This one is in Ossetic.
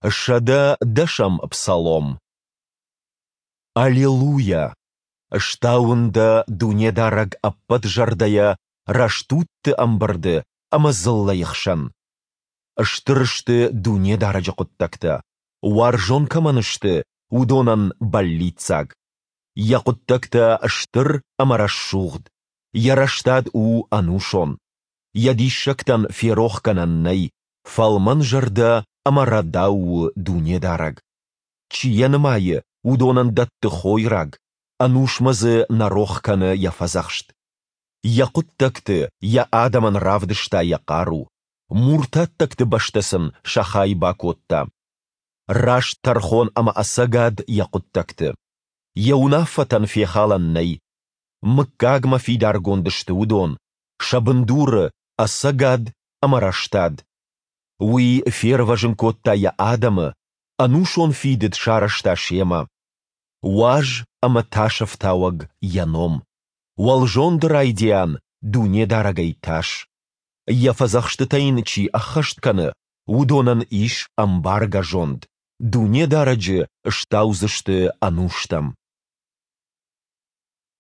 110-ӕм псалом. Алелуйа! Стауын Дӕ, Дунедарӕг, ӕппӕт зӕрдӕйӕ рӕстудты ӕмбырды ӕмӕ дзыллӕйы хсӕн. Стыр сты Дунедарӕджы хъуыддӕгтӕ, уарзон кӕмӕн сты, уыдонӕн бӕллиццаг. Йӕ хъуыддӕгтӕ стыр ӕмӕ рӕсугъд, Йӕ рӕстад у ӕнусон. Йӕ диссӕгтӕн ферохгӕнӕн нӕй, фӕлмӕнзӕрдӕ ӕмӕ рӕдау у Дунедарӕг. Чи йӕ нымайы, уыдонӕн дӕтты хойраг, ӕнусмӕ дзы нӕ рох кӕны йӕ фӕдзӕхст. Йӕ хъуыддӕгты йӕ адӕмӕн равдыста йӕ хъару, муртаттӕгты бӕстӕ сын сӕ хай бакодта. Раст тӕрхон ӕмӕ ӕцӕгад йӕ хъуыддӕгты. Йӕ уынаффӕтӕн фехалӕн нӕй. Мыггагмӕ фидаргонд сты уыдон, сӕ бындуры ӕцӕгад ӕмӕ рӕстад. Уый фервӕзын кодта йӕ адӕмы, ӕнусон фидыд сарӕзта семӕ. Уаз ӕмӕ тасӕфтауӕг йӕ ном. Уӕлзонды райдиан Дунедарӕгӕй тас. Йӕ фӕдзӕхстытӕ йын чи ӕххӕст кӕны, уыдонӕн ис ӕмбаргӕ зонд, Дунедарӕджы стаудзысты ӕнустӕм.